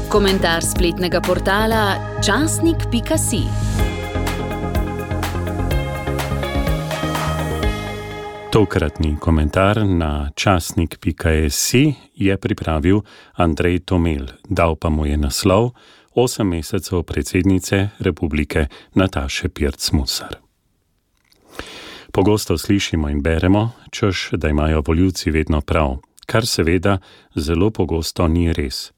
Komentar spletnega portala časnik.si. Tokratni komentar na časnik.si je pripravil Andrej Tomel, dal pa mu je naslov 8 mesecev predsednice republike Nataše Pirc Musar. Pogosto slišimo in beremo, češ, da imajo volivci vedno prav, kar seveda zelo pogosto ni res.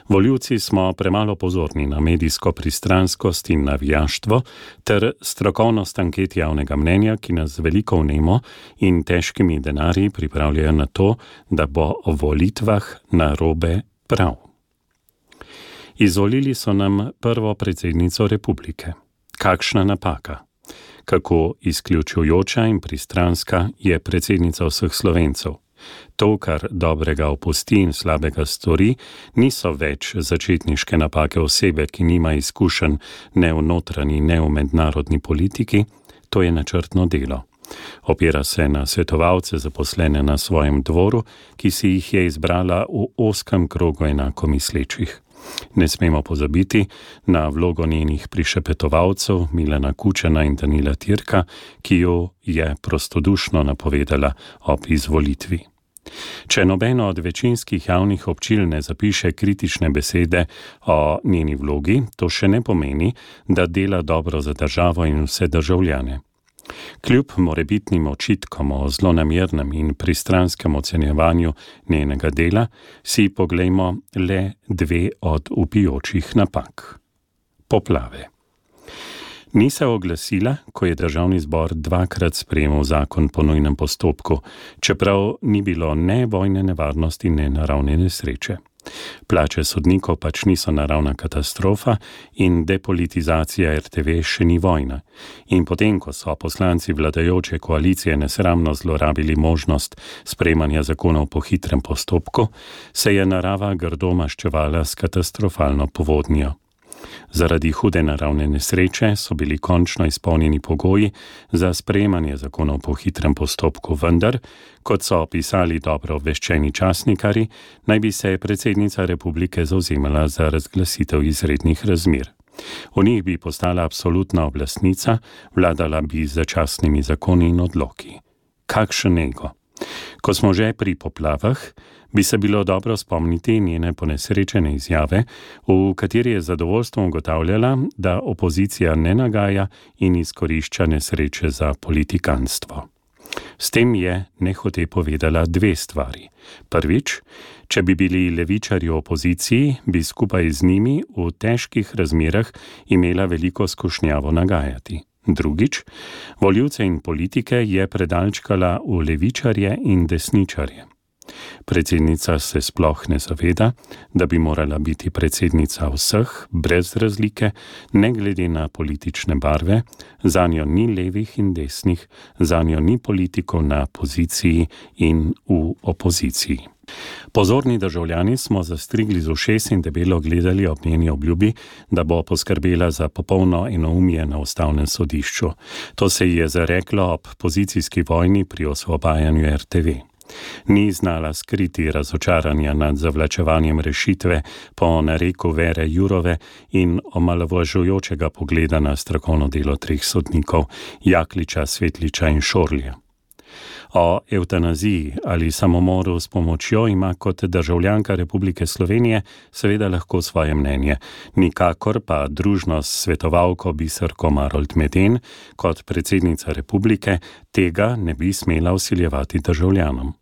Volivci smo premalo pozorni na medijsko pristranskost in navijaštvo ter strokovnost anket javnega mnenja, ki nas veliko vnemo in težkimi denarji pripravljajo na to, da bo o volitvah narobe prav. Izvolili so nam prvo predsednico republike. Kakšna napaka? Kako izključujoča in pristranska je predsednica vseh Slovencev? To, kar dobrega opusti in slabega stori, niso več začetniške napake osebe, ki nima izkušenj ne v notranji, ne v mednarodni politiki, to je načrtno delo. Opira se na svetovalce zaposlene na svojem dvoru, ki si jih je izbrala v ozkem krogu enako mislečih. Ne smemo pozabiti na vlogo njenih prišepetovalcev Milana Kučana in Danila Tirka, ki jo je prostodušno napovedala ob izvolitvi. Če nobeno od večinskih javnih občil ne zapiše kritične besede o njeni vlogi, to še ne pomeni, da dela dobro za državo in vse državljane. Kljub morebitnim očitkom o zlonamernem in pristranskem ocenjevanju njenega dela, si poglejmo le 2 od vpijočih napak. Poplave. Ni se oglasila, ko je Državni zbor 2-krat sprejemal zakon po nujnem postopku, čeprav ni bilo ne vojne nevarnosti, ne naravne nesreče. Plače sodnikov pač niso naravna katastrofa in depolitizacija RTV še ni vojna. In potem, ko so poslanci vladajoče koalicije nesramno zlorabili možnost sprejemanja zakonov po hitrem postopku, se je narava grdo maščevala s katastrofalno povodnjo. Zaradi hude naravne nesreče so bili končno izpolnjeni pogoji za sprejemanje zakonov po hitrem postopku, vendar, kot so opisali dobro obveščeni časnikarji, naj bi se predsednica republike zavzemala za razglasitev izrednih razmer. V njih bi postala absolutna oblastnica, vladala bi z začasnimi zakoni in odloki. Kakšen ego! Ko smo že pri poplavah, bi se bilo dobro spomniti njene ponesrečene izjave, v kateri je zadovoljstvom ugotavljala, da opozicija ne nagaja in izkorišča nesreče za politikanstvo. S tem je nehote povedala 2 stvari. Prvič, če bi bili levičarji v opoziciji, bi skupaj z njimi v težkih razmerah imela veliko skušnjavo nagajati. Drugič, volivce in politike je predalčkala v levičarje in desničarje. Predsednica se sploh ne zaveda, da bi morala biti predsednica vseh, brez razlike, ne glede na politične barve, zanjo ni levih in desnih, zanjo ni politikov na poziciji in v opoziciji. Pozorni državljani smo zastrigli z ušes in debelo gledali ob njeni obljubi, da bo poskrbela za popolno enoumje na ustavnem sodišču. To se ji je zareklo ob pozicijski vojni pri osvobajanju RTV. Ni znala skriti razočaranja nad zavlačevanjem rešitve po nareku Vere Jourove in omalovažujočega pogleda na strokovno delo 3 sodnikov, Jakliča, Svetliča in Šorlja. O evtanaziji ali samomoru s pomočjo ima kot državljanka Republike Slovenije seveda lahko svoje mnenje, nikakor pa družno s svetovalko Biserko Marolt Meden kot predsednica republike tega ne bi smela vsiljevati državljanom.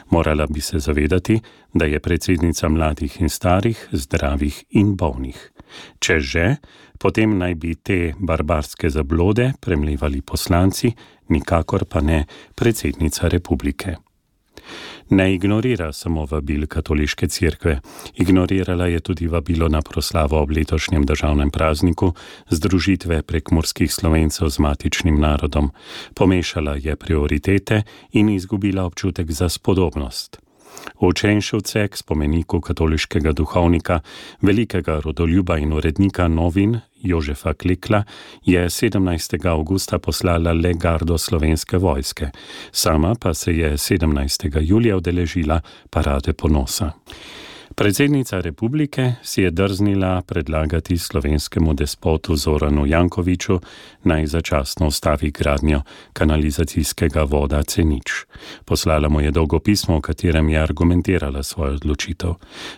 Morala bi se zavedati, da je predsednica mladih in starih, zdravih in bolnih. Če že, potem naj bi te barbarske zablode premlevali poslanci, nikakor pa ne predsednica republike. Ne ignorira samo vabil katoliške cerkve, ignorirala je tudi vabilo na proslavo ob letošnjem državnem prazniku združitve prekmurskih Slovencev z matičnim narodom, pomešala je prioritete in izgubila občutek za spodobnost. V Črenšovce k spomeniku katoliškega duhovnika, velikega rodoljuba in urednika novin Jožefa Klekla je 17. avgusta poslala le gardo Slovenske vojske, sama pa se je 17. julija udeležila parade ponosa. Predsednica republike si je drznila predlagati slovenskemu despotu Zoranu Jankoviću, naj začasno ustavi gradnjo kanalizacijskega voda C0. Poslala mu je dolgo pismo, v katerem je argumentirala svojo odločitev.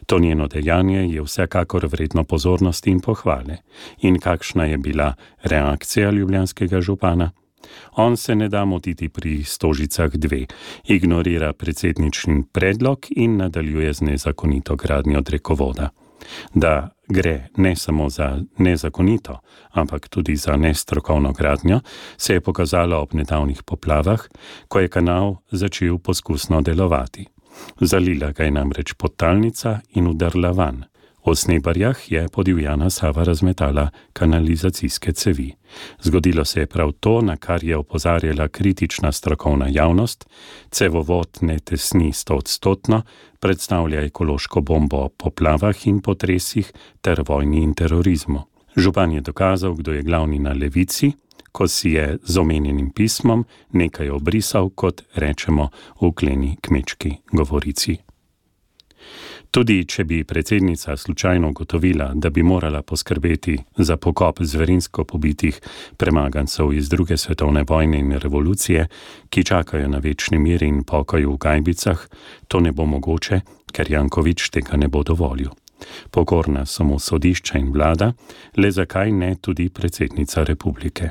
To njeno dejanje je vsekakor vredno pozornosti in pohvale. In kakšna je bila reakcija ljubljanskega župana? On se ne da motiti pri Stožicah 2, ignorira predsedničin predlog in nadaljuje z nezakonito gradnjo drekovoda. Da gre ne samo za nezakonito, ampak tudi za nestrokovno gradnjo, se je pokazalo ob nedavnih poplavah, ko je kanal začel poskusno delovati. Zalila ga je namreč podtalnica in udrla van. V Snebarjah je podivjana Sava razmetala kanalizacijske cevi. Zgodilo se je prav to, na kar je opozarjala kritična strokovna javnost. Cevovod ne tesni 100%, predstavlja ekološko bombo o poplavah in potresih ter vojni in terorizmu. Župan je dokazal, kdo je glavni na levici, ko si je z omenjenim pismom nekaj obrisal, kot rečemo v kleni kmečki govorici. Tudi če bi predsednica slučajno ugotovila, da bi morala poskrbeti za pokop zverinsko pobitih premagancev iz druge svetovne vojne in revolucije, ki čakajo na večni mir in pokoj v gajbicah, to ne bo mogoče, ker Janković tega ne bo dovolil. Pokorna so mu sodišča in vlada, le zakaj ne tudi predsednica republike.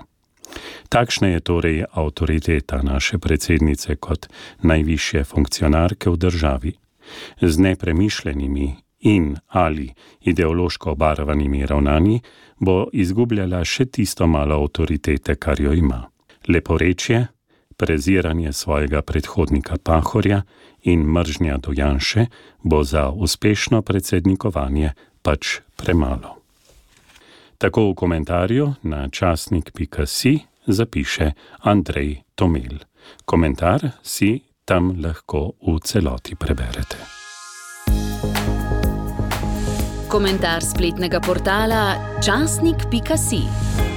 Takšna je torej avtoriteta naše predsednice kot najvišje funkcionarke v državi. Z nepremišljenimi in ali ideološko obarvanimi ravnanji bo izgubljala še tisto malo avtoritete, kar jo ima. Leporečje, preziranje svojega predhodnika Pahorja in mržnja do Janše bo za uspešno predsednikovanje pač premalo. Tako v komentarju na časnik.si zapiše Andrej Tomel. Komentar si tam lahko v celoti preberete. Komentar spletnega portala časnik.si.